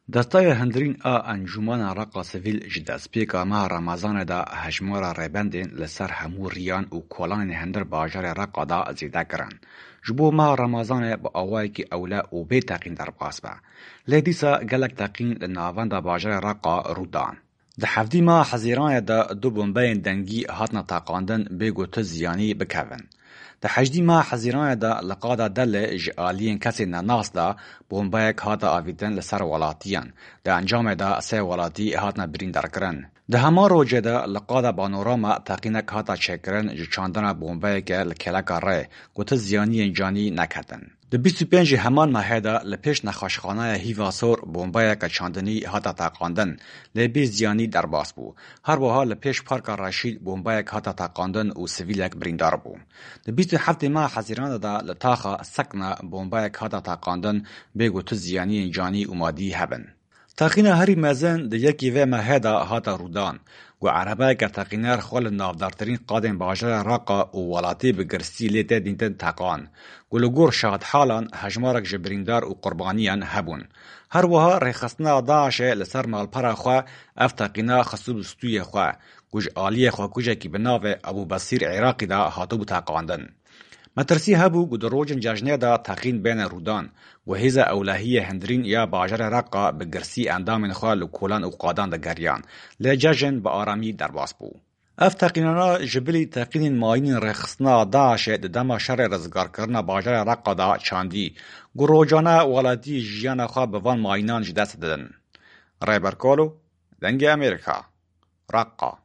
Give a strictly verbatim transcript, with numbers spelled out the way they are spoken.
Destaya hundirîn a Encûmena Reqa Sivîl ji destpêka meha Remezanê de hejmara rêbendên li ser hemû riyan û kolanên hundir bajarê Reqa de zêde kirin. Ji bo meha Remezanê bi awayekî ewle û bê teqîn derbas be. Lê dîsa gelek teqîn li navenda bajarê Reqa rû dan. Di hevdî meha Hezîranê de du bombeyên dengî hatine teqandin bê ku tu ziyanî bikevin. Di hejdî meha Hezîranê de li qada Delê ji aliyên kesên nenas de bombeyek hate avîtin li ser welatiyan. Di encamê de sê welatî hatine birîndarkirin. Di heman rojê de li qada Banorama teqînek hate çêkirin ji çandina bombeyeke li kêleka rê ku tu ziyaniyên canî neketin. Di bîst û pêncê heman mehê de li pêş nexweşxaneya Hîva Sor bombeyeke çandinî hate teqandin, lê bê ziyanî derbas bû. Her wiha li pêş Parka Reşîd bombeyek hate teqandin û sivîlek birîndar bû. Di bîst û heftê meha Hezîranê de li taxa Sekna bombeyek hate teqandin, bê ku tu ziyaniyên canî û madî hebin. Teqîna herî mezin di yekî vê mehê de hate rûdan, ku erebeyeke teqîner xwe li navdartirîn qadên bajarê Reqa û welatî bi girsî lê tê dîtin teqan, ku li gor şahidhalan hejmarek ji birîndar û qurbaniyan hebûn. Her wiha rêxistina DAIŞê li ser malpera xwe ev teqîna xistibû stûyê xwe, ku ji aliyê xwekujekî bi navê Ebû Besîr Iraqî de hatibû teqandin. Metirsî hebû ku di rojên cejnê de teqîn bêne rûdan, ku hêza ewlehiyê hundirîn ya bajarê Reqa bi girsî endamên xwe li kolan û qadan digeriyan, lê cejn bi aramî derbas bû. Ev teqînana ji bilî teqînên mayînên rêxistina DAIŞê di dema şerê rizgarkirina bajarê Reqa de çandî, ku rojane welatî jiyana xwe bi van mayînan ji dest didin. Rêber Kolo, Dengê Amerîka, Reqa.